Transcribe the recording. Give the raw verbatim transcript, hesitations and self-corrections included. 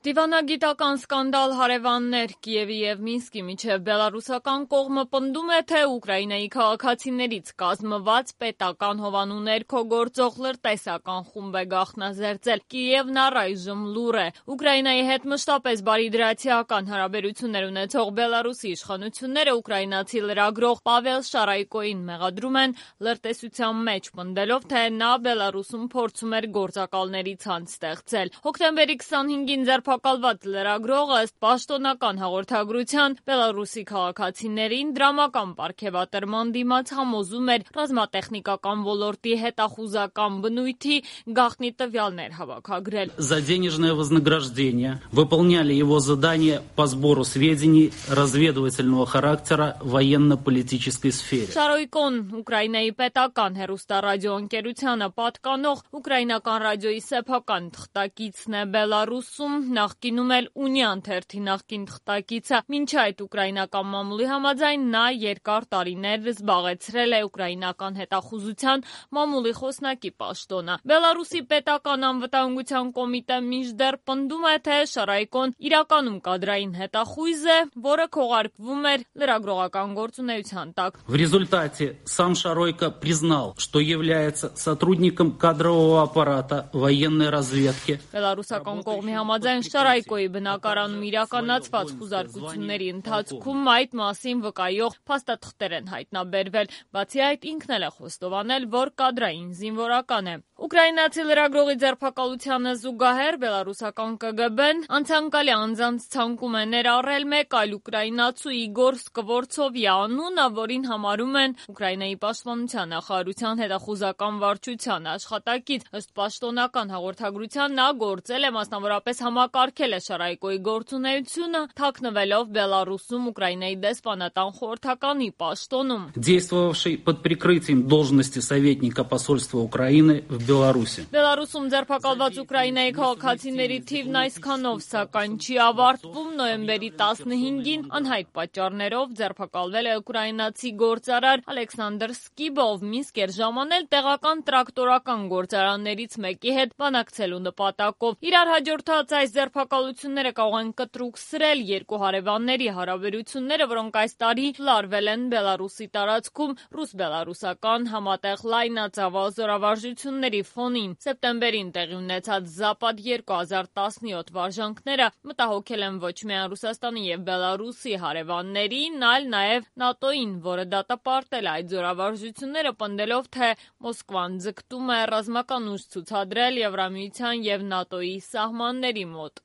Դիվանագիտական սկանդալ, հարևաններ, Կիևի և Մինսկի միջև բելառուսական կողմը պնդում է, թե Ուկրաինայի քաղաքացիներից կազմված պետական հովանու ներքո գործող լրտեսական խումբ է գաղտնազերծել։ Կիևն առայժմ լուռ է։ Ուկրաինայի հետ մշտապես բարիդրացիական հարաբերություններ ունեցող Բելառուսի իշխանությունները ուկրաինացի լրագրող Պավել Շարայկոյին մեղադրում են լրտեսության մեջ, պնդելով, թե նա Բելառուսում փորձում էր գործակալների ցանց ստեղծել։ Հոկտեմբերի քսանհինգին ձերբակալված լրագրողը ըստ պաշտոնական հաղորդագրության Բելառուսի քաղաքացիներին դրամական պարգևատրման դիմաց համոզում էր ռազմատեխնիկական ոլորտի հետախուզական բնույթի գաղտնի տվյալներ հավաքագրել։ За денежное вознаграждение выполняли его задания по сбору сведений разведывательного характера в военно-политической сфере. Շարոյկոն Ուկրաինայի պետական հեռուստառադիոընկերությանը պատկանող ուկրաինական ռադիոյի սեփական թղթակիցն է Բելառուսում, նախկինում էլ Ունիան թերթի նախկին թղթակիցը։ Մինչ այդ ուկրաինական մամուլի համաձայն նա երկար տարիներ զբաղեցրել է ուկրաինական հետախուզության մամուլի խոսնակի պաշտոնը։ Բելառուսի պետական անվտանգության կոմիտե մինչդեռ պնդում է, թե Շարայկոն իրականում կադրային հետախույզ է, որը քողարկվում էր լրագրողական գործունեության տակ։ В результате сам Шаройко признал, что является сотрудником кадрового аппарата военной разведки. Բելառուսական կողմի համաձայն Շարայկոյի բնակարանում իրականացված խուզարկությունների ընթացքում այդ մասին վկայող փաստաթղթեր են հայտնաբերվել։ Բացի այդ, ինքն էլ է խոստովանել, որ կադրային զինվորական է։ Ուկրաինացի լրագրողի ձերբակալությանը զուգահեռ բելառուսական Կ Գ B-ն անցանկալի անձանց ցանկում է ներառել մեկ այլ ուկրաինացու Իգոր Սկվորցովի անունը, որին համարում են Ուկրաինայի պաշտպանության նախարարության հետախուզական վարչության աշխատակից։ Ըստ պաշտոնական հաղորդագրության նա գործել է, մասնավորապես համակարգել է Շարայկոյի գործունեությունը, թաքնվելով Բելառուսում Ուկրաինայի դեսպանատան խորհրդականի պաշտոնում։ Действовавший под прикрытием должности советника посольства Украины в Беларуси. Բելառուսում ձերբակալված Ուկրաինայի քաղաքացիների թիվն այսքանով սակայն չի ավարտվում։ Նոյեմբերի տասնհինգին անհայտ պատճառներով ձերբակալվել է ուկրաինացի գործարար Ալեքսանդր Սկիբով։ Մինսկ էր ժամանել տեղական տրակտորական գործարաններից մեկի հետ բանակցելու նպատակով։ Իրար հաջորդած այս ձերբակալությունները կարող են կտրուկսրել երկու հարևանների հարաբերությունները, որոնք այս տարի լարվել են Բելառուսի տարածքում ռուս-բելառուսական համատեղ լայնածավալ զորավարժությունների ֆոնին։ Սեպտեմբերին տեղի ունեցած Զապադ երկու հազար տասնյոթ վարժանքները մտահոգել են ոչ միայն Ռուսաստանի և Բելառուսի հարևաններին, այլ նաև ՆԱՏՕ-ին, որը դատապարտել է այդ զորավարժությունները, պնդելով, թե Մոսկվան ձգտում է ռազմական ուժ ցուցադրել Եվրամիության և ՆԱՏՕ-ի սահմանների մոտ։